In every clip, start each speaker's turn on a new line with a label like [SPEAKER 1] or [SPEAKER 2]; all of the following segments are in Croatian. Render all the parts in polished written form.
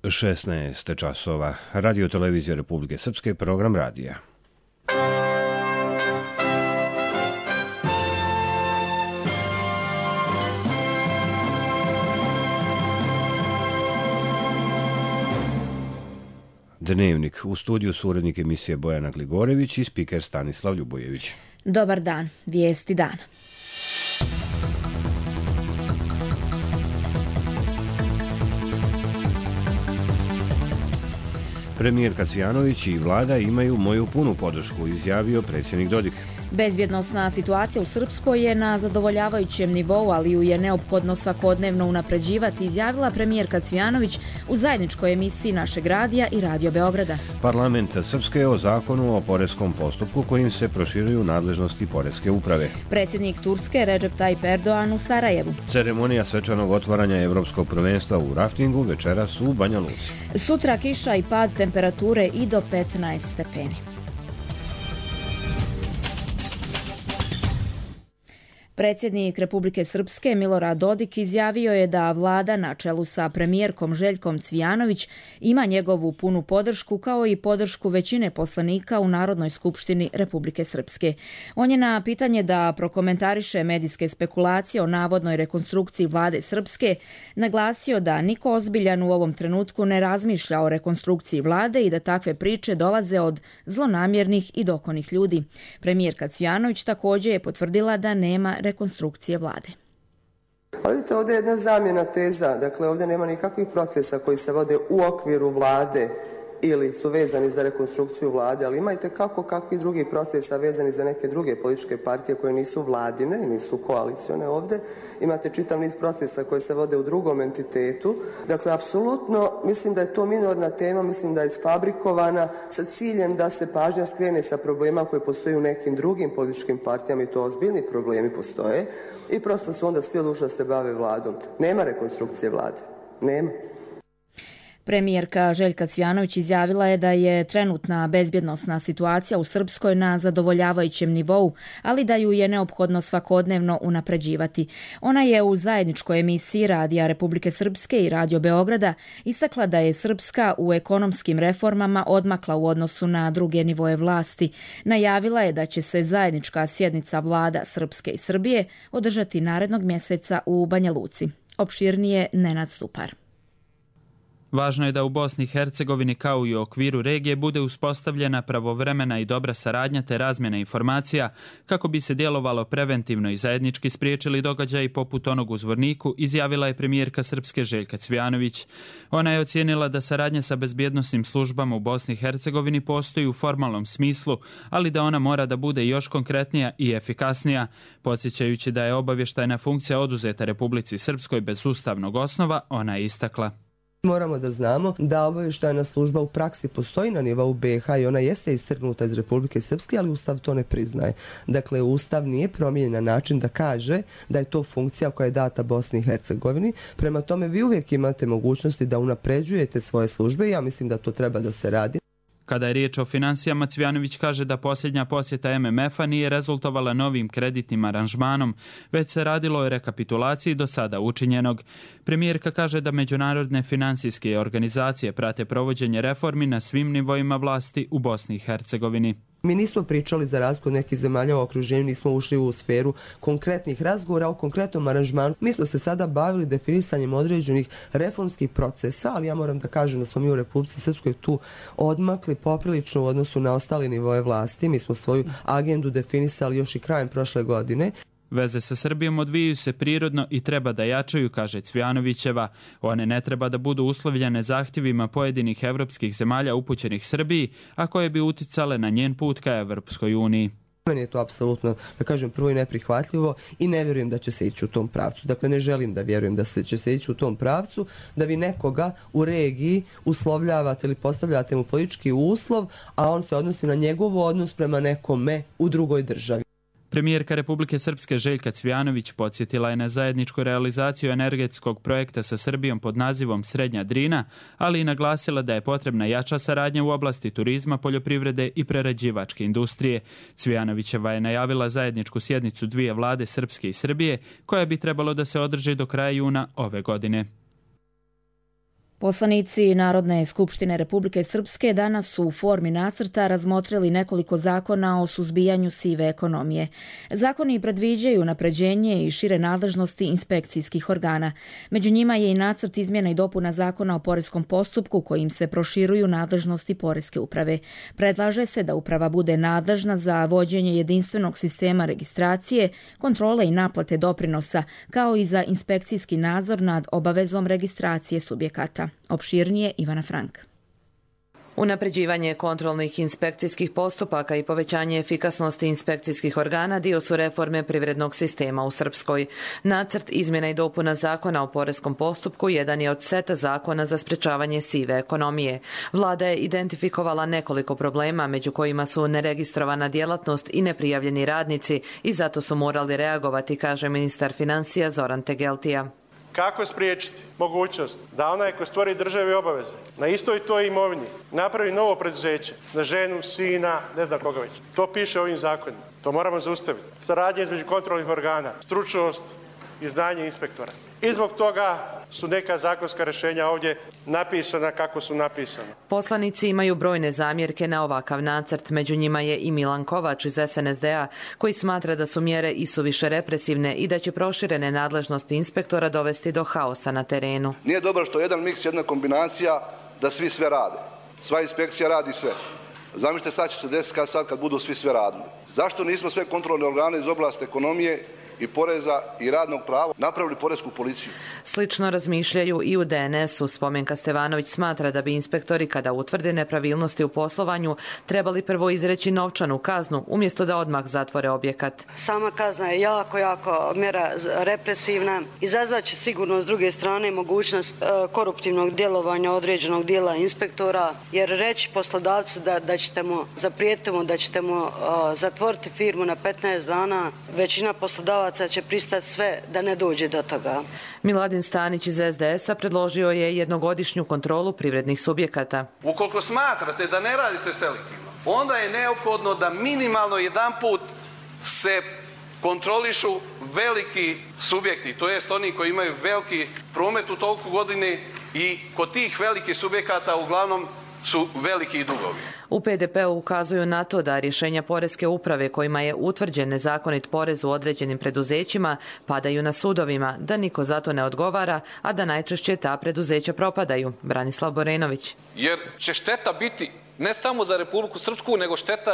[SPEAKER 1] 16 časova. Radio televizija Republike Srpske, program radija. Dnevnik. U studiju su urednik emisije Bojana Gligorević i spiker Stanislav Ljubojević.
[SPEAKER 2] Dobar dan. Vijesti dana.
[SPEAKER 1] Premijerka Cvijanović i vlada imaju moju punu podršku, izjavio predsjednik Dodik.
[SPEAKER 2] Bezbjednosna situacija u Srpskoj je na zadovoljavajućem nivou, ali ju je neophodno svakodnevno unapređivati, izjavila premijerka Cvijanović u zajedničkoj emisiji našeg radija i Radio Beograda.
[SPEAKER 1] Parlament Srpske o zakonu o poreskom postupku kojim se proširuju nadležnosti poreske uprave.
[SPEAKER 2] Predsjednik Turske Recep Tayyip Erdogan u Sarajevu.
[SPEAKER 1] Ceremonija svečanog otvaranja Evropskog prvenstva u raftingu večeras u Banja Luci.
[SPEAKER 2] Sutra kiša i pad temperature i do 15 stepeni. Predsjednik Republike Srpske Milorad Dodik izjavio je da vlada na čelu sa premijerkom Željkom Cvijanović ima njegovu punu podršku kao i podršku većine poslanika u Narodnoj skupštini Republike Srpske. On je na pitanje da prokomentariše medijske spekulacije o navodnoj rekonstrukciji vlade Srpske naglasio da niko ozbiljan u ovom trenutku ne razmišlja o rekonstrukciji vlade i da takve priče dolaze od zlonamjernih i dokonih ljudi. Premijerka Cvijanović također je potvrdila da nema rekonstrukcije vlade.
[SPEAKER 3] Vidite, ovdje je jedna zamjena teza, dakle ovdje nema nikakvih procesa koji se vode u okviru vlade ili su vezani za rekonstrukciju vlade, ali imajte kakvi drugi procesa vezani za neke druge političke partije koje nisu vladine i nisu koalicione ovdje. Imate čitav niz procesa koji se vode u drugom entitetu. Dakle, apsolutno mislim da je to minorna tema, mislim da je isfabrikovana sa ciljem da se pažnja skrene sa problema koji postoji u nekim drugim političkim partijama i to ozbiljni problemi postoje i prosto su onda svi odlučili da se bave vladom. Nema rekonstrukcije vlade. Nema.
[SPEAKER 2] Premijerka Željka Cvijanović izjavila je da je trenutna bezbjednosna situacija u Srpskoj na zadovoljavajućem nivou, ali da ju je neophodno svakodnevno unapređivati. Ona je u zajedničkoj emisiji Radija Republike Srpske i Radio Beograda istakla da je Srpska u ekonomskim reformama odmakla u odnosu na druge nivoje vlasti. Najavila je da će se zajednička sjednica vlada Srpske i Srbije održati narednog mjeseca u Banja Luci. Opširnije Nenad Stupar.
[SPEAKER 4] Važno je da u Bosni i Hercegovini kao i u okviru regije bude uspostavljena pravovremena i dobra saradnja te razmjena informacija kako bi se djelovalo preventivno i zajednički spriječili događaji poput onog u Zvorniku, izjavila je premijerka Srpske Željka Cvijanović. Ona je ocijenila da saradnja sa bezbjednosnim službama u Bosni i Hercegovini postoji u formalnom smislu, ali da ona mora da bude još konkretnija i efikasnija. Podsjećajući da je obavještajna funkcija oduzeta Republici Srpskoj bez ustavnog osnova, ona je istakla.
[SPEAKER 3] Moramo da znamo da obavještajna služba u praksi postoji na nivou BiH i ona jeste istrgnuta iz Republike Srpske, ali Ustav to ne priznaje. Dakle, Ustav nije promijenjen na način da kaže da je to funkcija koja je data Bosni i Hercegovini. Prema tome, vi uvijek imate mogućnosti da unapređujete svoje službe i ja mislim da to treba da se radi.
[SPEAKER 4] Kada je riječ o finansijama, Cvijanović kaže da posljednja posjeta MMF-a nije rezultovala novim kreditnim aranžmanom, već se radilo o rekapitulaciji do sada učinjenog. Premijerka kaže da međunarodne finansijske organizacije prate provođenje reformi na svim nivoima vlasti u Bosni i Hercegovini.
[SPEAKER 3] Mi nismo pričali za razliku od nekih zemalja u okruženju, nismo ušli u sferu konkretnih razgovora o konkretnom aranžmanu. Mi smo se sada bavili definisanjem određenih reformskih procesa, ali ja moram da kažem da smo mi u Republici Srpskoj tu odmakli poprilično u odnosu na ostale nivoje vlasti. Mi smo svoju agendu definisali još i krajem prošle godine.
[SPEAKER 4] Veze sa Srbijom odvijaju se prirodno i treba da jačaju, kaže Cvijanovićeva. One ne treba da budu uslovljene zahtjevima pojedinih evropskih zemalja upućenih Srbiji, a koje bi uticale na njen put ka Evropskoj uniji.
[SPEAKER 3] Meni je to apsolutno, da kažem, prvo i neprihvatljivo i ne vjerujem da će se ići u tom pravcu. Dakle, ne želim da vjerujem da će se ići u tom pravcu, da vi nekoga u regiji uslovljavate ili postavljate mu politički uslov, a on se odnosi na njegov odnos prema nekome u drugoj državi.
[SPEAKER 4] Premijerka Republike Srpske Željka Cvijanović podsjetila je na zajedničku realizaciju energetskog projekta sa Srbijom pod nazivom Srednja Drina, ali i naglasila da je potrebna jača saradnja u oblasti turizma, poljoprivrede i prerađivačke industrije. Cvijanovićeva je najavila zajedničku sjednicu dvije vlade Srpske i Srbije, koja bi trebalo da se održi do kraja juna ove godine.
[SPEAKER 2] Poslanici Narodne skupštine Republike Srpske danas su u formi nacrta razmotrili nekoliko zakona o suzbijanju sive ekonomije. Zakoni predviđaju unapređenje i šire nadležnosti inspekcijskih organa. Među njima je i nacrt izmjena i dopuna zakona o poreskom postupku kojim se proširuju nadležnosti poreske uprave. Predlaže se da uprava bude nadležna za vođenje jedinstvenog sistema registracije, kontrole i naplate doprinosa, kao i za inspekcijski nadzor nad obavezom registracije subjekata. Opširnije Ivana Frank.
[SPEAKER 5] Unapređivanje kontrolnih inspekcijskih postupaka i povećanje efikasnosti inspekcijskih organa dio su reforme privrednog sistema u Srpskoj. Nacrt izmjena i dopuna zakona o poreskom postupku jedan je od seta zakona za sprečavanje sive ekonomije. Vlada je identifikovala nekoliko problema, među kojima su neregistrovana djelatnost i neprijavljeni radnici, i zato su morali reagovati, kaže ministar financija Zoran Tegeltija.
[SPEAKER 6] Kako spriječiti mogućnost da onaj ko stvori državi obaveze na istoj toj imovini napravi novo preduzeće, na ženu, sina, ne znam koga već. To piše ovim zakonima. To moramo zaustaviti. Saradnja između kontrolnih organa, stručnost i znanje inspektora. I zbog toga su neka zakonska rješenja ovdje napisana kako su napisana.
[SPEAKER 5] Poslanici imaju brojne zamjerke na ovakav nacrt. Među njima je i Milan Kovač iz SNSD-a, koji smatra da su mjere isuviše represivne i da će proširene nadležnosti inspektora dovesti do haosa na terenu.
[SPEAKER 7] Nije dobro što jedan miks, jedna kombinacija da svi sve rade. Sva inspekcija radi sve. Zamislite sad će se desiti kad budu svi sve radili. Zašto nismo sve kontrolne organe iz oblasti ekonomije i poreza i radnog prava napravili poresku policiju?
[SPEAKER 5] Slično razmišljaju i u DNS-u. Spomenka Stevanović smatra da bi inspektori, kada utvrde nepravilnosti u poslovanju, trebali prvo izreći novčanu kaznu umjesto da odmah zatvore objekat.
[SPEAKER 8] Sama kazna je jako mjera represivna. Izazvaće sigurno s druge strane mogućnost koruptivnog djelovanja određenog dijela inspektora, jer reći poslodavcu da ćete mu zaprijetiti da ćete mu zatvoriti firmu na 15 dana, većina poslodavaca će pristati sve da ne dođe do toga.
[SPEAKER 5] Miladin Stanić iz SDS-a predložio je jednogodišnju kontrolu privrednih subjekata.
[SPEAKER 9] Ukoliko smatrate da ne radite selektivno, onda je neophodno da minimalno jedanput se kontrolišu veliki subjekti, to jest oni koji imaju veliki promet u toku godine, i kod tih velikih subjekata uglavnom su veliki dugovi.
[SPEAKER 5] U PDP-u ukazuju na to da rješenja poreske uprave kojima je utvrđen nezakonit porez u određenim preduzećima padaju na sudovima, da niko za to ne odgovara, a da najčešće ta preduzeća propadaju. Branislav Borenović.
[SPEAKER 10] Jer će šteta biti ne samo za Republiku Srpsku, nego šteta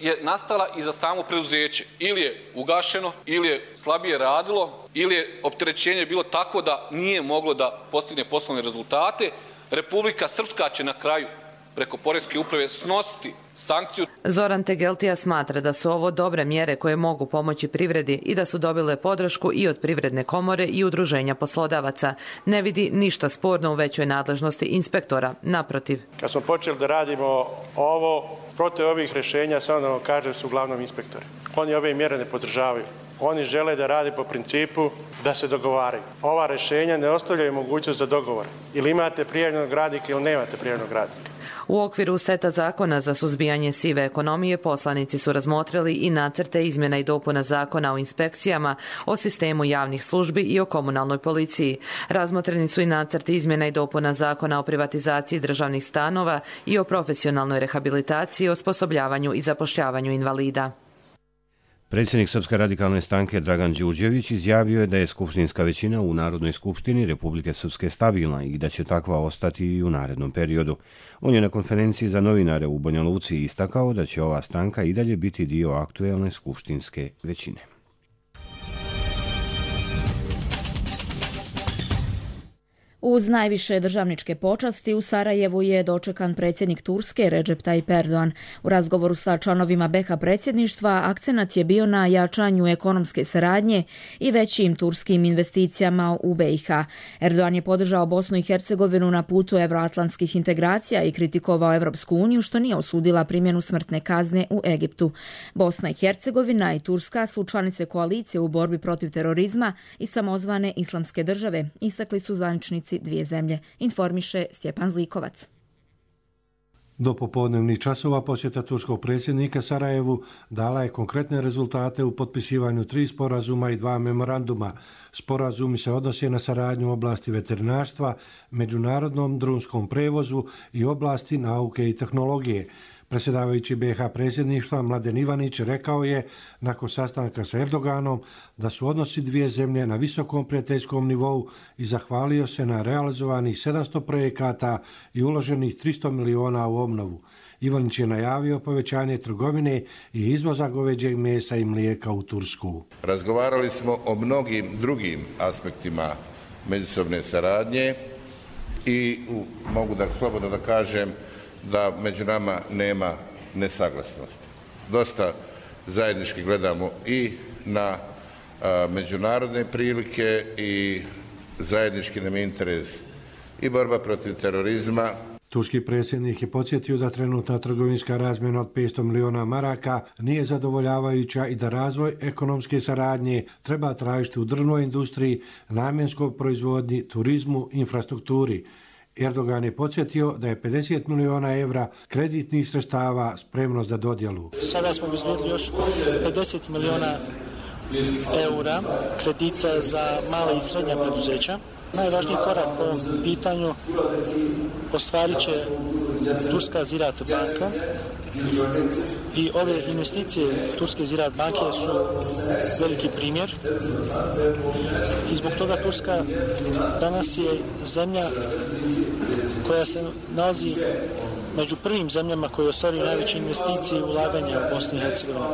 [SPEAKER 10] je nastala i za samo preduzeće. Ili je ugašeno, ili je slabije radilo, ili je opterećenje bilo tako da nije moglo da postigne poslovne rezultate. Republika Srpska će na kraju preko poreske uprave snositi sankciju.
[SPEAKER 5] Zoran Tegeltija smatra da su ovo dobre mjere koje mogu pomoći privredi i da su dobile podršku i od Privredne komore i udruženja poslodavaca. Ne vidi ništa sporno u većoj nadležnosti inspektora, naprotiv.
[SPEAKER 6] Kad smo počeli da radimo ovo, protiv ovih rješenja, samo da vam kažem, su uglavnom inspektori. Oni ove mjere ne podržavaju. Oni žele da rade po principu da se dogovaraju. Ova rješenja ne ostavljaju mogućnost za dogovor. Ili imate prijavljenog radnika ili nemate prijavljenog radnika.
[SPEAKER 5] U okviru seta zakona za suzbijanje sive ekonomije poslanici su razmotrili i nacrte izmjena i dopuna zakona o inspekcijama, o sistemu javnih službi i o komunalnoj policiji. Razmotreni su i nacrti izmjena i dopuna zakona o privatizaciji državnih stanova i o profesionalnoj rehabilitaciji, osposobljavanju i zapošljavanju invalida.
[SPEAKER 1] Predsjednik Srpske radikalne stranke Dragan Đurđević izjavio je da je skupštinska većina u Narodnoj skupštini Republike Srpske stabilna i da će takva ostati i u narednom periodu. On je na konferenciji za novinare u Banja Luci istakao da će ova stranka i dalje biti dio aktuelne skupštinske većine.
[SPEAKER 2] Uz najviše državničke počasti u Sarajevu je dočekan predsjednik Turske Recep Tayyip Erdogan. U razgovoru sa članovima BiH predsjedništva akcenat je bio na jačanju ekonomske saradnje i većim turskim investicijama u BiH. Erdogan je podržao Bosnu i Hercegovinu na putu evroatlantskih integracija i kritikovao Evropsku uniju što nije osudila primjenu smrtne kazne u Egiptu. Bosna i Hercegovina i Turska su članice koalicije u borbi protiv terorizma i samozvane islamske države, istakli su zvaničnici dvije zemlje, informiše Stjepan Zlikovac.
[SPEAKER 11] Do popodnevnih časova posjeta turskog predsjednika Sarajevu dala je konkretne rezultate u potpisivanju 3 sporazuma i 2 memoranduma. Sporazumi se odnose na saradnju u oblasti veterinarstva, međunarodnom drumskom prevozu i oblasti nauke i tehnologije. Predsjedavajući BiH predsjedništva Mladen Ivanić rekao je nakon sastanka sa Erdoganom da su odnosi dvije zemlje na visokom prijateljskom nivou i zahvalio se na realizovanih 700 projekata i uloženih 300 miliona u obnovu. Ivanić je najavio povećanje trgovine i izvoza goveđeg mesa i mlijeka u Tursku.
[SPEAKER 12] Razgovarali smo o mnogim drugim aspektima međusobne saradnje i mogu slobodno da kažem da među nama nema nesaglasnosti. Dosta zajednički gledamo i na međunarodne prilike i zajednički nam je interes i borba protiv terorizma.
[SPEAKER 11] Turski predsjednik je podsjetio da trenutna trgovinska razmjena od 500 miliona maraka nije zadovoljavajuća i da razvoj ekonomske saradnje treba tražiti u drvnoj industriji, namjenskoj proizvodnji, turizmu, infrastrukturi. Erdogan je podsjetio da je 50 miliona evra kreditnih sredstava spremno za dodjelu.
[SPEAKER 13] Sada smo obezbijedili još 50 miliona eura kredita za male i srednja preduzeća. Najvažniji korak po ovom pitanju ostvarit će Turska Ziraat banka i ove investicije Turske Ziraat banke su veliki primjer i zbog toga Turska danas je zemlja koja se nalazi među prvim zemljama koje ostvaruju najveće investicije i ulaganja u Bosni i Hercegovini.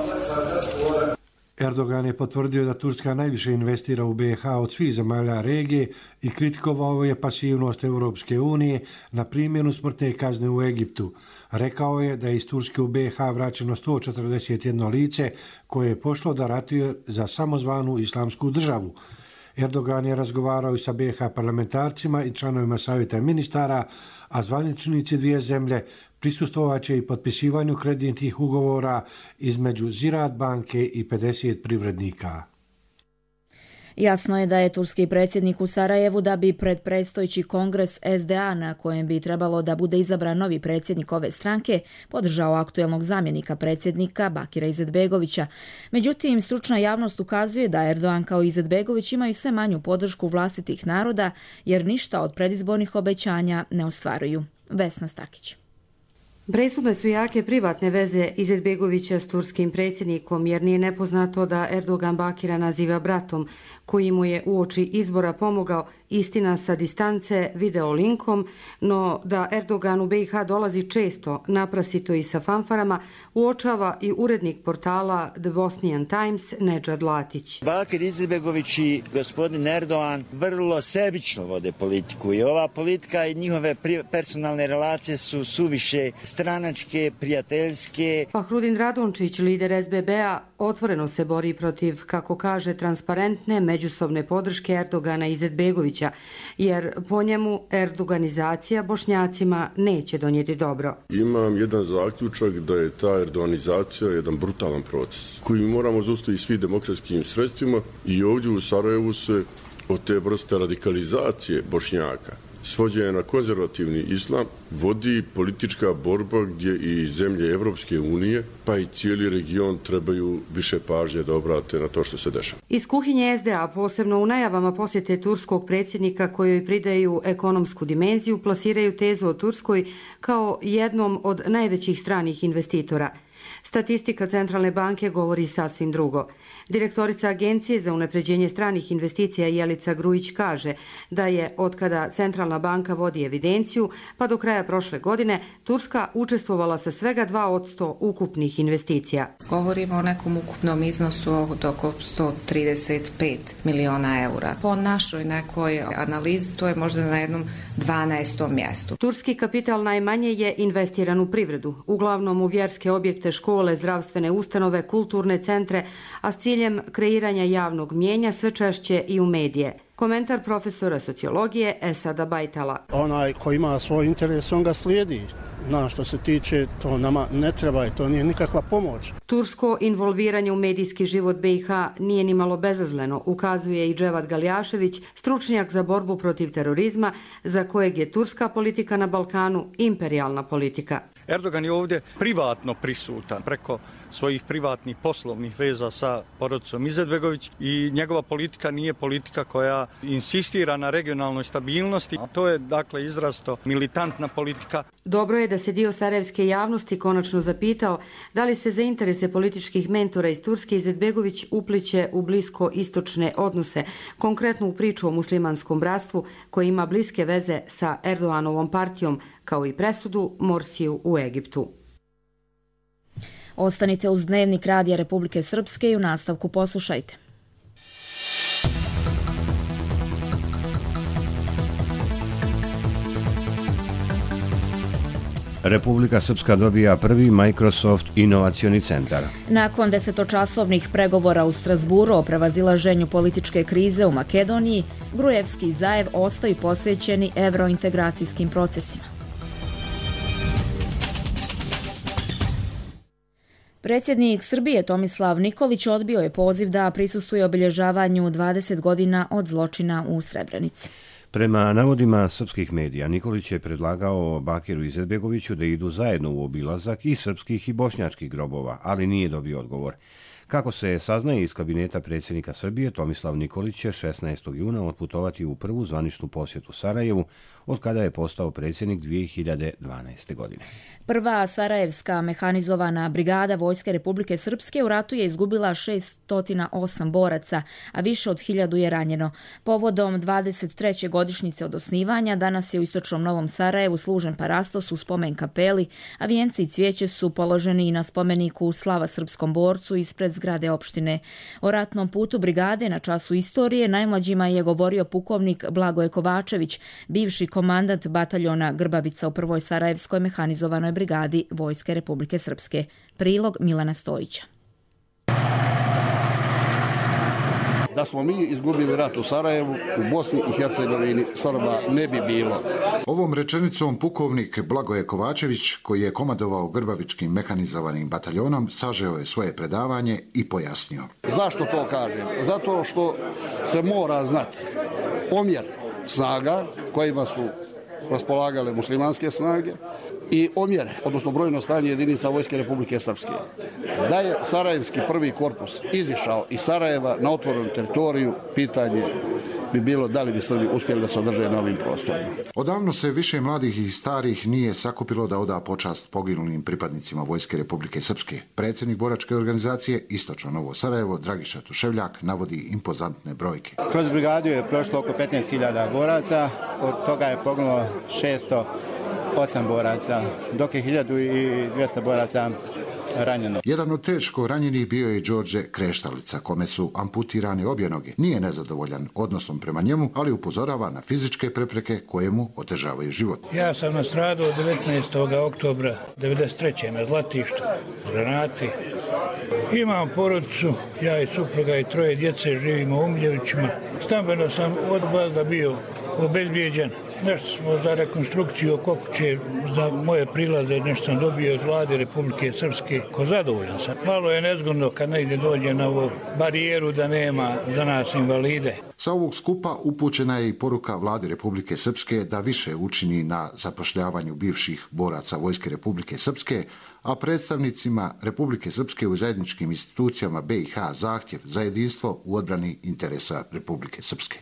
[SPEAKER 11] Erdogan je potvrdio da Turska najviše investira u BiH od svih zemalja regije i kritikovao je pasivnost Europske unije na primjenu smrtne kazne u Egiptu. Rekao je da je iz Turske u BiH vraćeno 141 lice koje je pošlo da ratuje za samozvanu islamsku državu. Erdogan je razgovarao i sa BiH parlamentarcima i članovima savjeta ministara, a zvaničnici dvije zemlje prisustvovaće i potpisivanju kreditnih ugovora između Ziraat banke i 50 privrednika.
[SPEAKER 2] Jasno je da je turski predsjednik u Sarajevu da bi pred predstojeći kongres SDA na kojem bi trebalo da bude izabran novi predsjednik ove stranke podržao aktuelnog zamjenika predsjednika Bakira Izetbegovića. Međutim, stručna javnost ukazuje da Erdogan kao Izetbegović imaju sve manju podršku vlastitih naroda jer ništa od predizbornih obećanja ne ostvaruju. Vesna Stakić.
[SPEAKER 14] Presudne su jake privatne veze Izetbegovića s turskim predsjednikom jer nije nepoznato da Erdogan Bakira naziva bratom koji mu je uoči izbora pomogao, istina sa distance, video linkom, no da Erdogan u BiH dolazi često, naprasito i sa fanfarama, uočava i urednik portala The Bosnian Times Nedžad Latić.
[SPEAKER 15] Bakir Izetbegović i gospodin Erdogan vrlo sebično vode politiku i ova politika i njihove personalne relacije su suviše stranačke, prijateljske.
[SPEAKER 14] Fahrudin Radončić, lider SBB-a, otvoreno se bori protiv, kako kaže, transparentne međusobne podrške Erdogana i Izetbegovića, jer po njemu erdoganizacija Bošnjacima neće donijeti dobro.
[SPEAKER 16] Imam jedan zaključak da je ta erdoganizacija jedan brutalan proces koji moramo zaustaviti svim demokratskim sredstvima i ovdje u Sarajevu se od te vrste radikalizacije Bošnjaka, svođenja na konzervativni islam, vodi politička borba gdje i zemlje Evropske unije, pa i cijeli region trebaju više pažnje da obrate na to što se dešava.
[SPEAKER 14] Iz kuhinje SDA, posebno u najavama posjete turskog predsjednika kojoj pridaju ekonomsku dimenziju, plasiraju tezu o Turskoj kao jednom od najvećih stranih investitora. Statistika Centralne banke govori sasvim drugo. Direktorica Agencije za unapređenje stranih investicija Jelica Grujić kaže da je otkada Centralna banka vodi evidenciju pa do kraja prošle godine Turska učestvovala sa svega 2% ukupnih investicija.
[SPEAKER 17] Govorimo o nekom ukupnom iznosu od oko 135 miliona eura. Po našoj nekoj analizi to je možda na jednom 12. mjestu.
[SPEAKER 14] Turski kapital najmanje je investiran u privredu, uglavnom u vjerske objekte, škole, zdravstvene ustanove, kulturne centre, a s ciljem kreiranja javnog mnijenja sve češće i u medije. Komentar profesora sociologije Esada Bajtala.
[SPEAKER 18] Onaj ko ima svoj interes, on ga slijedi. Što se tiče, to nama ne treba i to nije nikakva pomoć.
[SPEAKER 14] Tursko involviranje u medijski život BiH nije ni malo bezazleno, ukazuje i Dževad Galjašević, stručnjak za borbu protiv terorizma, za kojeg je turska politika na Balkanu imperijalna politika.
[SPEAKER 19] Erdogan je ovdje privatno prisutan preko svojih privatnih poslovnih veza sa porodicom Izetbegović i njegova politika nije politika koja insistira na regionalnoj stabilnosti. To je dakle izrazito militantna politika.
[SPEAKER 14] Dobro je da se dio sarajevske javnosti konačno zapitao da li se za interese političkih mentora iz Turske Izetbegović upliće u blisko-istočne odnose, konkretno u priču o muslimanskom bratstvu koje ima bliske veze sa Erdoganovom partijom, kao i presudu Morsiju u Egiptu.
[SPEAKER 2] Ostanite uz Dnevnik Radija Republike Srpske i u nastavku poslušajte.
[SPEAKER 1] Republika Srpska dobija prvi Microsoft inovacioni centar.
[SPEAKER 2] Nakon 10-časovnih pregovora u Strasburu o prevazilaženju političke krize u Makedoniji, Gruevski i Zaev ostaju posvećeni evrointegracijskim procesima. Predsjednik Srbije Tomislav Nikolić odbio je poziv da prisustvuje obilježavanju 20 godina od zločina u Srebrenici.
[SPEAKER 1] Prema navodima srpskih medija, Nikolić je predlagao Bakiru Izetbegoviću da idu zajedno u obilazak i srpskih i bošnjačkih grobova, ali nije dobio odgovor. Kako se saznaje iz kabineta predsjednika Srbije, Tomislav Nikolić će 16. juna otputovati u prvu zvaničnu posjetu Sarajevu, od kada je postao predsjednik 2012. godine.
[SPEAKER 2] Prva sarajevska mehanizovana brigada Vojske Republike Srpske u ratu je izgubila 608 boraca, a više od 1000 je ranjeno. Povodom 23. godišnjice od osnivanja, danas je u istočnom Novom Sarajevu služen parastos u spomen kapeli, a vijenci i cvijeće su položeni i na spomeniku Slava srpskom borcu ispred zgrade opštine. O ratnom putu brigade na času istorije najmlađima je govorio pukovnik Blagoje Kovačević, bivši komandant bataljona Grbavica u prvoj sarajevskoj mehanizovanoj brigadi Vojske Republike Srpske. Prilog Milana Stojića.
[SPEAKER 20] Da smo mi izgubili rat u Sarajevu, u Bosni i Hercegovini Srba ne bi bilo.
[SPEAKER 21] Ovom rečenicom pukovnik Blagoje Kovačević, koji je komandovao Grbavičkim mehanizovanim bataljonom, sažeo je svoje predavanje i pojasnio.
[SPEAKER 20] Zašto to kažem? Zato što se mora znati omjer snaga kojima su raspolagale muslimanske snage i omjer, odnosno brojno stanje jedinica Vojske Republike Srpske. Da je Sarajevski prvi korpus izišao iz Sarajeva na otvorenu teritoriju, pitanje bi bilo da li bi Srbi uspjeli da se održe na ovim prostorima.
[SPEAKER 21] Odavno se više mladih i starih nije sakupilo da oda počast poginulim pripadnicima Vojske Republike Srpske. Predsjednik boračke organizacije Istočno Novo Sarajevo, Dragiša Tuševljak, navodi impozantne brojke.
[SPEAKER 22] Kroz brigadu je prošlo oko 15.000 boraca, od toga je poginulo 608 boraca, dok je 1200 boraca ranjeno.
[SPEAKER 21] Jedan od teško ranjenih bio je Đorđe Kreštalica, kome su amputirane obje noge. Nije nezadovoljan odnosom prema njemu, ali upozorava na fizičke prepreke koje mu otežavaju život.
[SPEAKER 23] Ja sam nastradao 19. oktobra 1993. na Zlatištu, granati. Imam porodicu, ja i supruga i 3 djece, živimo u Umljevićima. Stambeno sam od bazda bio obezbijeđen. Nešto smo za rekonstrukciju oko kuće, za moje prilaze, nešto sam dobio od vlade Republike Srpske. Ko zadovoljan sam. Malo je nezgodno kad negdje dođe na ovu barijeru da nema za nas invalide.
[SPEAKER 21] Sa ovog skupa upućena je i poruka vlade Republike Srpske da više učini na zapošljavanju bivših boraca Vojske Republike Srpske, a predstavnicima Republike Srpske u zajedničkim institucijama BiH zahtjev za jedinstvo u odbrani interesa Republike Srpske.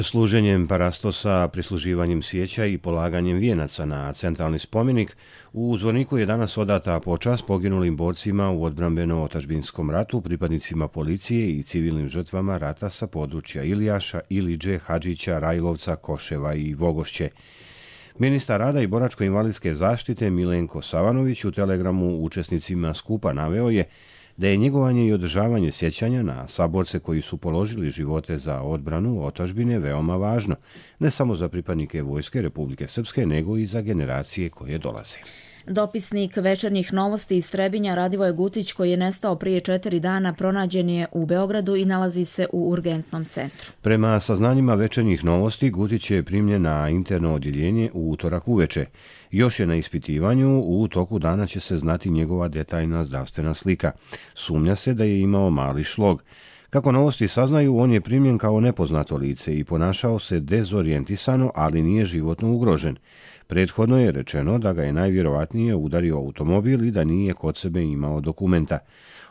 [SPEAKER 1] Služenjem parastosa, prisluživanjem svijeća i polaganjem vijenaca na centralni spomenik, u Zvorniku je danas odata počast poginulim borcima u odbrambeno-otačbinskom ratu, pripadnicima policije i civilnim žrtvama rata sa područja Ilijaša, Iliđe, Hadžića, Rajlovca, Koševa i Vogošće. Ministar rada i boračko-invalidske zaštite Milenko Savanović u telegramu učesnicima skupa naveo je da je njegovanje i održavanje sjećanja na saborce koji su položili živote za odbranu otadžbine veoma važno, ne samo za pripadnike Vojske Republike Srpske, nego i za generacije koje dolaze.
[SPEAKER 2] Dopisnik Večernjih novosti iz Trebinja Radivoje Gutić, koji je nestao prije 4 dana, pronađen je u Beogradu i nalazi se u urgentnom centru.
[SPEAKER 1] Prema saznanjima Večernjih novosti, Gutić je primljen na interno odjeljenje u utorak uveče. Još je na ispitivanju, u toku dana će se znati njegova detaljna zdravstvena slika. Sumnja se da je imao mali šlog. Kako novosti saznaju, on je primljen kao nepoznato lice i ponašao se dezorijentisano, ali nije životno ugrožen. Prethodno je rečeno da ga je najvjerovatnije udario automobil i da nije kod sebe imao dokumenta.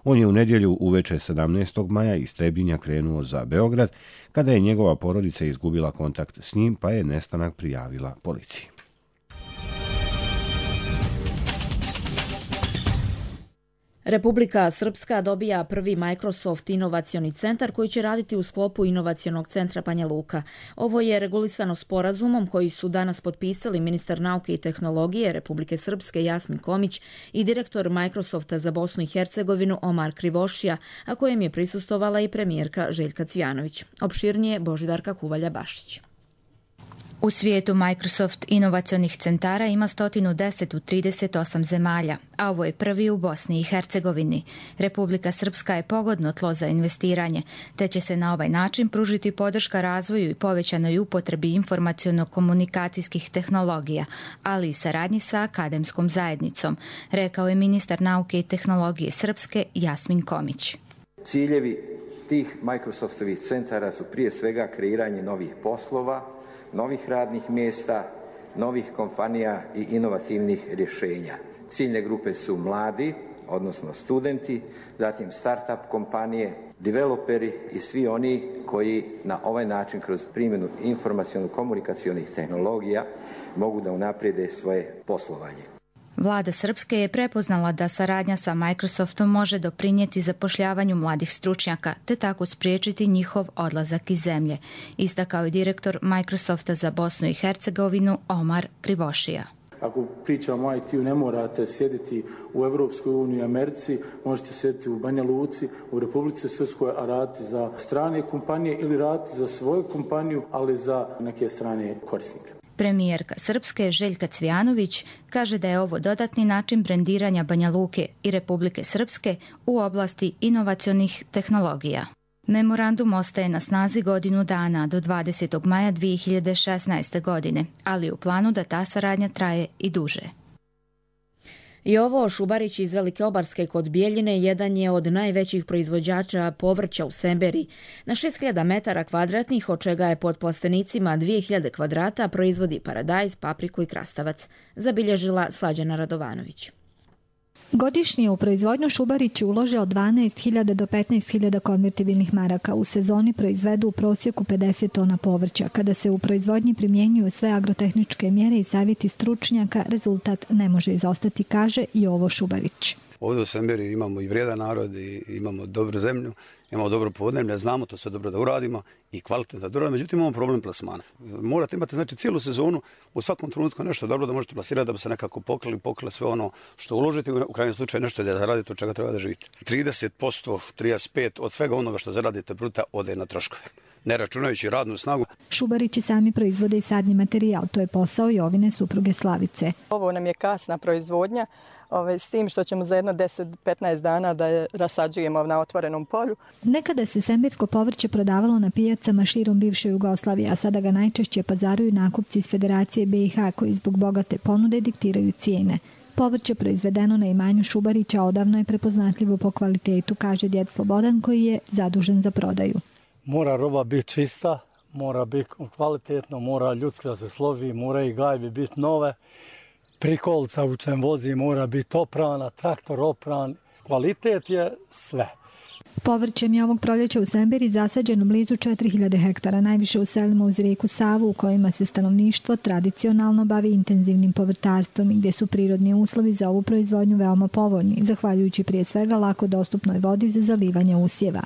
[SPEAKER 1] On je u nedjelju uveče 17. maja iz Trebinja krenuo za Beograd, kada je njegova porodica izgubila kontakt s njim, pa je nestanak prijavila policiji.
[SPEAKER 2] Republika Srpska dobija prvi Microsoft inovacioni centar koji će raditi u sklopu inovacionog centra Banja Luka. Ovo je regulisano sporazumom koji su danas potpisali ministar nauke i tehnologije Republike Srpske Jasmin Komić i direktor Microsofta za Bosnu i Hercegovinu Omar Krivošija, a kojem je prisustvovala i premijerka Željka Cvijanović. Opširnije Božidarka Kuvalja-Bašić.
[SPEAKER 3] U svijetu Microsoft inovacionih centara ima 110 u 38 zemalja, a ovo je prvi u Bosni i Hercegovini. Republika Srpska je pogodno tlo za investiranje, te će se na ovaj način pružiti podrška razvoju i povećanoj upotrebi informaciono-komunikacijskih tehnologija, ali i saradnji sa akademskom zajednicom, rekao je ministar nauke i tehnologije Srpske Jasmin Komić.
[SPEAKER 4] Ciljevi tih Microsoftovih centara su prije svega kreiranje novih poslova, novih radnih mjesta, novih kompanija i inovativnih rješenja. Ciljne grupe su mladi, odnosno studenti, zatim start-up kompanije, developeri i svi oni koji na ovaj način kroz primjenu informaciono-komunikacionih tehnologija mogu da unaprijede svoje poslovanje.
[SPEAKER 3] Vlada Srpske je prepoznala da saradnja sa Microsoftom može doprinijeti zapošljavanju mladih stručnjaka, te tako spriječiti njihov odlazak iz zemlje, istakao je direktor Microsofta za Bosnu i Hercegovinu Omar Krivošija.
[SPEAKER 7] Ako pričamo o IT-u, ne morate sjediti u Evropskoj uniji i Americi, možete sjediti u Banja Luci, u Republici Srpskoj, a raditi za strane kompanije ili raditi za svoju kompaniju, ali za neke strane korisnike.
[SPEAKER 3] Premijerka Srpske Željka Cvijanović kaže da je ovo dodatni način brendiranja Banja Luke i Republike Srpske u oblasti inovacionih tehnologija. Memorandum ostaje na snazi godinu dana do 20. maja 2016. godine, ali u planu da ta saradnja traje i duže.
[SPEAKER 2] Jovo Šubarić iz Velike Obarske kod Bijeljine jedan je od najvećih proizvođača povrća u Semberiji. Na 6000 metara kvadratnih, od čega je pod plastenicima 2000 kvadrata, proizvodi paradajz, papriku i krastavac, zabilježila Slađana Radovanović.
[SPEAKER 24] Godišnje u proizvodnju Šubarić ulože od 12.000 do 15.000 konvertibilnih maraka. U sezoni proizvedu u prosjeku 50 tona povrća. Kada se u proizvodnji primjenjuju sve agrotehničke mjere i savjeti stručnjaka, rezultat ne može izostati, kaže Jovo Šubarić.
[SPEAKER 25] Ovdje u Semberiji imamo i vrijedan narod i imamo dobru zemlju, imamo dobro podneblje, znamo to sve dobro da uradimo i kvalitetno da uradimo, međutim imamo problem plasmana. Morate imati znači cijelu sezonu, u svakom trenutku nešto dobro da možete plasirati da bi se nekako pokrili sve ono što uložite, u krajnjem slučaju nešto da zaradite od čega treba da živite. 30%, 35% od svega onoga što zaradite bruta ode na troškove, ne računajući radnu snagu.
[SPEAKER 24] Šubarići sami proizvode i sadni materijal, to je posao Jovine supruge Slavice.
[SPEAKER 26] Ovo nam je kasna proizvodnja, s tim što ćemo za jedno 10-15 dana da je rasađujemo na otvorenom polju.
[SPEAKER 24] Nekada se sembersko povrće prodavalo na pijacama širom bivše Jugoslavije, a sada ga najčešće pazaruju nakupci iz Federacije BiH koji zbog bogate ponude diktiraju cijene. Povrće proizvedeno na imanju Šubarića odavno je prepoznatljivo po kvalitetu, kaže djed Slobodan koji je zadužen za prodaju.
[SPEAKER 27] Mora roba biti čista, mora biti kvalitetno, mora ljudski da se složi, mora i gajbi biti nove. Prikolca u čem vozi mora biti oprana, traktor opran, kvalitet je sve.
[SPEAKER 24] Povrćem je ovog proljeća u Semberiji zasađeno blizu 4000 hektara, najviše u selima uz rijeku Savu u kojima se stanovništvo tradicionalno bavi intenzivnim povrtarstvom i gdje su prirodni uslovi za ovu proizvodnju veoma povoljni, zahvaljujući prije svega lako dostupnoj vodi za zalivanje usjeva.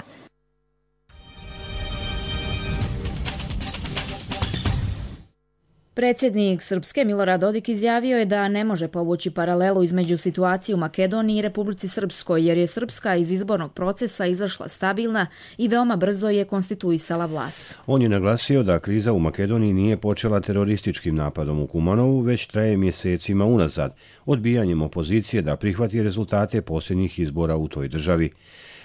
[SPEAKER 2] Predsjednik Srpske Milorad Dodik izjavio je da ne može povući paralelu između situacije u Makedoniji i Republici Srpskoj, jer je Srpska iz izbornog procesa izašla stabilna i veoma brzo je konstituisala vlast.
[SPEAKER 1] On je naglasio da kriza u Makedoniji nije počela terorističkim napadom u Kumanovu, već traje mjesecima unazad, odbijanjem opozicije da prihvati rezultate posljednjih izbora u toj državi.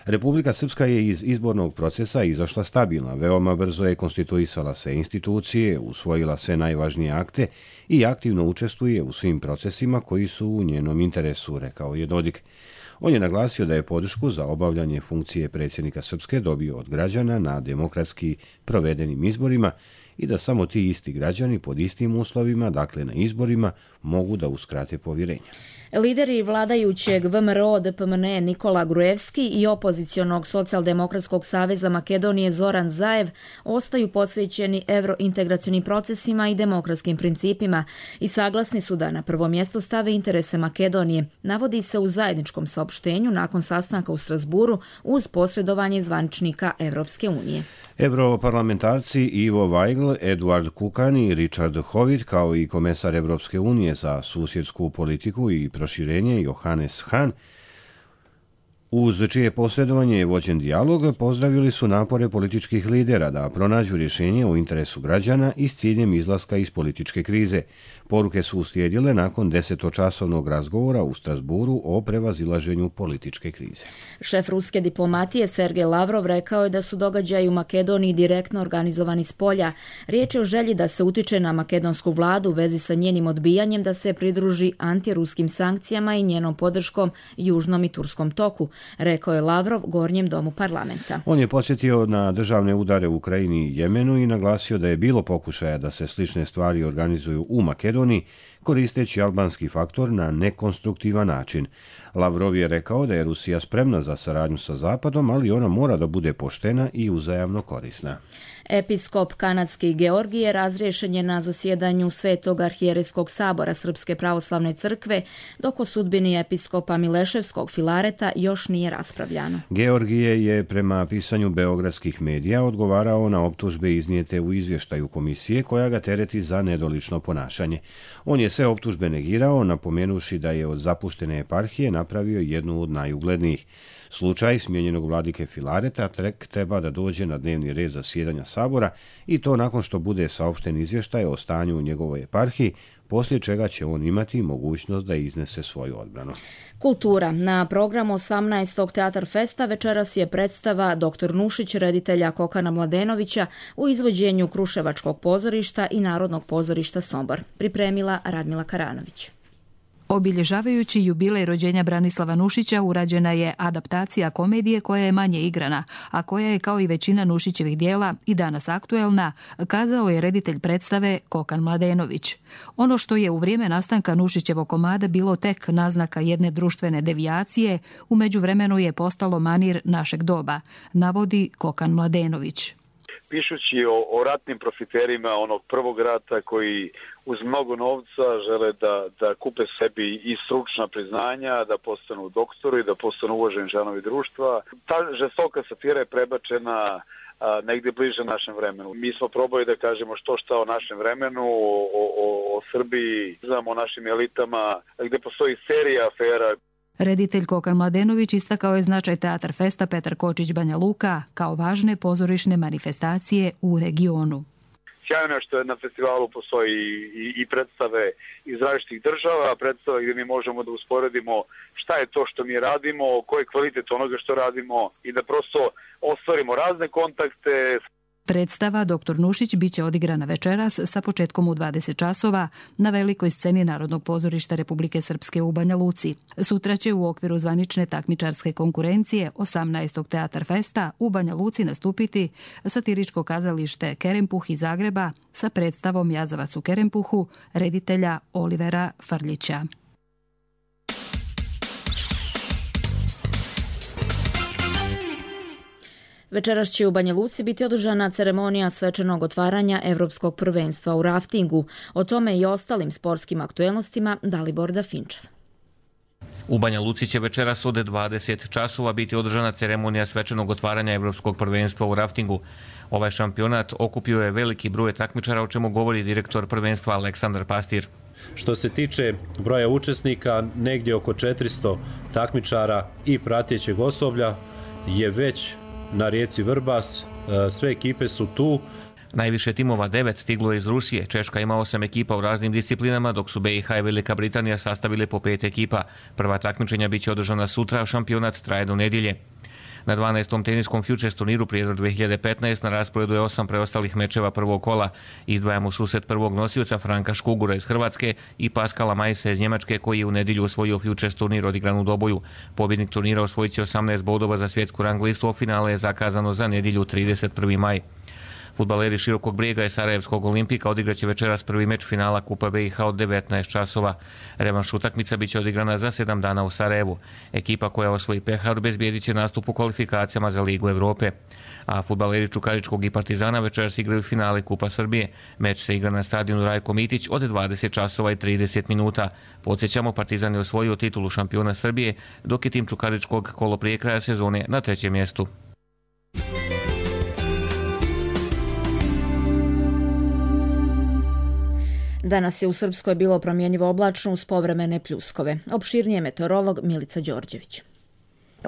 [SPEAKER 1] Republika Srpska je iz izbornog procesa izašla stabilna, veoma brzo je konstituisala sve institucije, usvojila sve najvažnije akte i aktivno učestvuje u svim procesima koji su u njenom interesu, rekao je Dodik. On je naglasio da je podršku za obavljanje funkcije predsjednika Srpske dobio od građana na demokratski provedenim izborima i da samo ti isti građani pod istim uslovima, dakle na izborima, mogu da uskrate povjerenje.
[SPEAKER 2] Lideri vladajućeg VMRO DPMNE Nikola Gruevski i opozicionog Socijaldemokratskog saveza Makedonije Zoran Zaev ostaju posvećeni evrointegracionim procesima i demokratskim principima i saglasni su da na prvo mjesto stave interese Makedonije, navodi se u zajedničkom saopštenju nakon sastanka u Strasburu uz posredovanje zvaničnika Evropske unije.
[SPEAKER 1] Europarlamentarci Ivo Vajgl, Eduard Kukan i Richard Howitt, kao i komesar Evropske unije za susjedsku politiku i proširenje Johannes Hahn, uz čije posredovanje je vođen dijalog, pozdravili su napore političkih lidera da pronađu rješenje u interesu građana i s ciljem izlaska iz političke krize. Poruke su uslijedile nakon 10-časovnog razgovora u Strasburu o prevazilaženju političke krize.
[SPEAKER 2] Šef ruske diplomatije Sergej Lavrov rekao je da su događaji u Makedoniji direktno organizovani s polja. Riječ je o želji da se utiče na makedonsku vladu u vezi sa njenim odbijanjem da se pridruži antiruskim sankcijama i njenom podrškom Južnom i Turskom toku, rekao je Lavrov Gornjem domu parlamenta.
[SPEAKER 1] On je podsjetio na državne udare u Ukrajini i Jemenu i naglasio da je bilo pokušaja da se slične stvari organizuju u Makedoniji, koristeći albanski faktor na nekonstruktivan način. Lavrov je rekao da je Rusija spremna za saradnju sa Zapadom, ali ona mora da bude poštena i uzajamno korisna.
[SPEAKER 2] Episkop kanadski Georgije razriješen je na zasjedanju Svetog arhijerejskog sabora Srpske pravoslavne crkve, dok o sudbini episkopa Mileševskog Filareta još nije raspravljano.
[SPEAKER 1] Georgije je prema pisanju beogradskih medija odgovarao na optužbe iznijete u izvještaju komisije koja ga tereti za nedolično ponašanje. On je sve optužbe negirao, napomenuši da je od zapuštene eparhije napravio jednu od najuglednijih. Slučaj smijenjenog vladike Filareta treba da dođe na dnevni red zasjedanja sabora i to nakon što bude saopšten izvještaj o stanju u njegovoj eparhiji, poslije čega će on imati mogućnost da iznese svoju odbranu.
[SPEAKER 2] Kultura. Na programu 18. Teatar Festa večeras je predstava Dr. Nušić reditelja Kokana Mladenovića u izvođenju Kruševačkog pozorišta i Narodnog pozorišta Sombor. Pripremila Radmila Karanović.
[SPEAKER 5] Obilježavajući jubilej rođenja Branislava Nušića urađena je adaptacija komedije koja je manje igrana, a koja je kao i većina Nušićevih dijela i danas aktuelna, kazao je reditelj predstave Kokan Mladenović. Ono što je u vrijeme nastanka Nušićevog komada bilo tek naznaka jedne društvene devijacije, u međuvremenu je postalo manir našeg doba, navodi Kokan Mladenović.
[SPEAKER 6] Pišući o ratnim profiterima onog prvog rata koji uz mnogo novca žele da kupe sebi i stručna priznanja, da postanu doktori, da postanu uvaženi članovi društva. Ta žestoka satira je prebačena negdje bliže našem vremenu. Mi smo probali da kažemo šta o našem vremenu, o Srbiji, o našim elitama, gdje postoji serija afera.
[SPEAKER 5] Reditelj Kokan Mladenović istakao je značaj Teatar Festa Petar Kočić Banja Luka kao važne pozorišne manifestacije u regionu.
[SPEAKER 6] Sjajno je što na festivalu postoji i predstave iz različitih država, predstave gdje mi možemo da usporedimo šta je to što mi radimo, koji je kvalitet onoga što radimo i da prosto ostvarimo razne kontakte.
[SPEAKER 5] Predstava Dr. Nušić biće odigrana večeras sa početkom u 20 časova na velikoj sceni Narodnog pozorišta Republike Srpske u Banja Luci. Sutra će u okviru zvanične takmičarske konkurencije 18. Teatar Festa u Banja Luci nastupiti satiričko kazalište Kerempuh iz Zagreba sa predstavom Jazavac u Kerempuhu reditelja Olivera Frljića.
[SPEAKER 2] Večeras će u Banja Luci biti održana ceremonija svečanog otvaranja Evropskog prvenstva u raftingu. O tome i ostalim sportskim aktuelnostima Dalibor Dafinčev.
[SPEAKER 8] U Banja Luci će večeras od 20 časova biti održana ceremonija svečanog otvaranja Evropskog prvenstva u raftingu. Ovaj šampionat okupio je veliki broj takmičara, o čemu govori direktor prvenstva Aleksandar Pastir.
[SPEAKER 9] Što se tiče broja učesnika, negdje oko 400 takmičara i pratećeg osoblja je već na rijeci Vrbas, sve ekipe su tu.
[SPEAKER 8] Najviše timova 9 stiglo je iz Rusije, Češka ima 8 ekipa u raznim disciplinama, dok su BiH i Velika Britanija sastavile po 5 ekipa. Prva takmičenja biće održana sutra, šampionat traje do nedjelje. Na 12. teniskom Futures turniru Prijedor 2015 na rasporedu je 8 preostalih mečeva prvog kola. Izdvajamo susret prvog nosioca Franka Škugura iz Hrvatske i Paskala Majsa iz Njemačke koji je u nedjelju osvojio Futures turnir odigran u Doboju. Pobjednik turnira osvojit će 18 bodova za svjetsku rang listu, a finale je zakazano za nedjelju 31. maj. Fudbaleri Širokog Brijega i Sarajevskog Olimpika odigraće večeras prvi meč finala Kupa BiH od 19 časova. Revanš utakmica biće odigrana za 7 dana u Sarajevu. Ekipa koja osvoji pehar obezbijedit će nastup u kvalifikacijama za Ligu Europe. A fudbaleri Čukaričkog i Partizana večeras igraju finale Kupa Srbije. Meč se igra na stadionu Rajko Mitić od 20 časova i 30 minuta. Podsjećamo, Partizan je osvojio titulu šampiona Srbije, dok je tim Čukaričkog kolo prije kraja sezone na 3. mjestu.
[SPEAKER 2] Danas je u Srpskoj bilo promjenjivo oblačno uz povremene pljuskove. Opširnije meteorolog Milica Đorđević.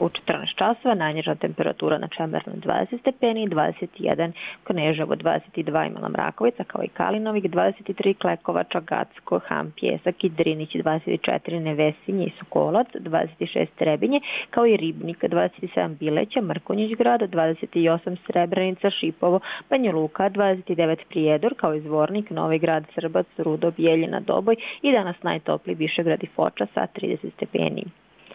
[SPEAKER 10] U 14 časova najniža temperatura na Čemernu 20 stepeni, 21 Kneževo, 22 Imala Mrakovica, kao i Kalinovik, 23 Klekovača, Gacko, Ham, Pjesak i Drinić, 24 Nevesinje i Sokolac, 26 Trebinje, kao i Ribnik, 27 Bileća, Mrkonjić grad, 28 Srebrenica, Šipovo, Banja Luka, 29 Prijedor, kao i Zvornik, Novi grad, Srbac, Rudo, Bijeljina, Doboj i danas najtopliji Višegrad i Foča sa 30 stepeni.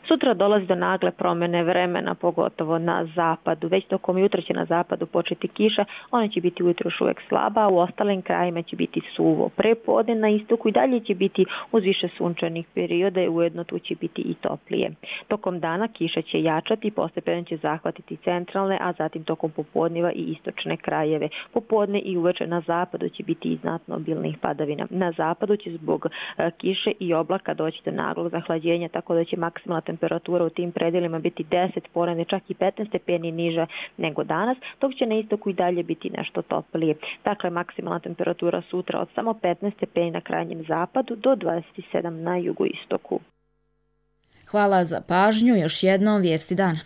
[SPEAKER 10] Sutra dolazi do nagle promjene vremena, pogotovo na zapadu. Već tokom jutra će na zapadu početi kiša, ona će biti ujutro još uvijek slaba, a u ostalim krajima će biti suvo. Prepodne na istoku i dalje će biti uz više sunčanih perioda i ujedno tu će biti i toplije. Tokom dana kiša će jačati i postepeno će zahvatiti centralne, a zatim tokom popodneva i istočne krajeve. Popodne i uveče na zapadu će biti i znatno obilnih padavina. Na zapadu će zbog kiše i oblaka doći do naglog zahlađenja, tako da će maksimalna temperatura u tim predelima biti 10, ponedjeljak čak i 15 stepeni niža nego danas, dok će na istoku i dalje biti nešto toplije. Dakle, maksimalna temperatura sutra od samo 15 stepeni na krajnjem zapadu do 27 na jugoistoku.
[SPEAKER 2] Hvala za pažnju. Još jednom vijesti dana.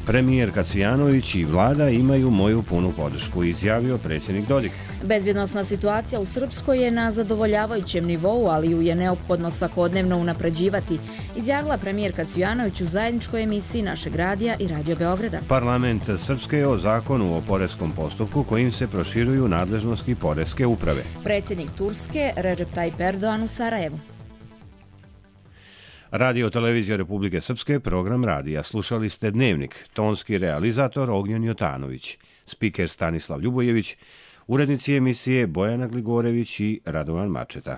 [SPEAKER 1] Premijerka Cvijanović i vlada imaju moju punu podršku, izjavio predsjednik Dodik.
[SPEAKER 2] Bezbjednosna situacija u Srpskoj je na zadovoljavajućem nivou, ali ju je neophodno svakodnevno unapređivati, izjavila premijerka Cvijanović u zajedničkoj emisiji našeg radija i Radio Beograda.
[SPEAKER 1] Parlament Srpske je o zakonu o poreskom postupku kojim se proširuju nadležnosti poreske uprave.
[SPEAKER 2] Predsjednik Turske Recep Tayyip Erdogan u Sarajevu.
[SPEAKER 1] Radio televizija Republike Srpske, program radija. Slušali ste Dnevnik, tonski realizator Ognjen Jotanović, spiker Stanislav Ljubojević, urednici emisije Bojana Gligorević i Radovan Mačeta.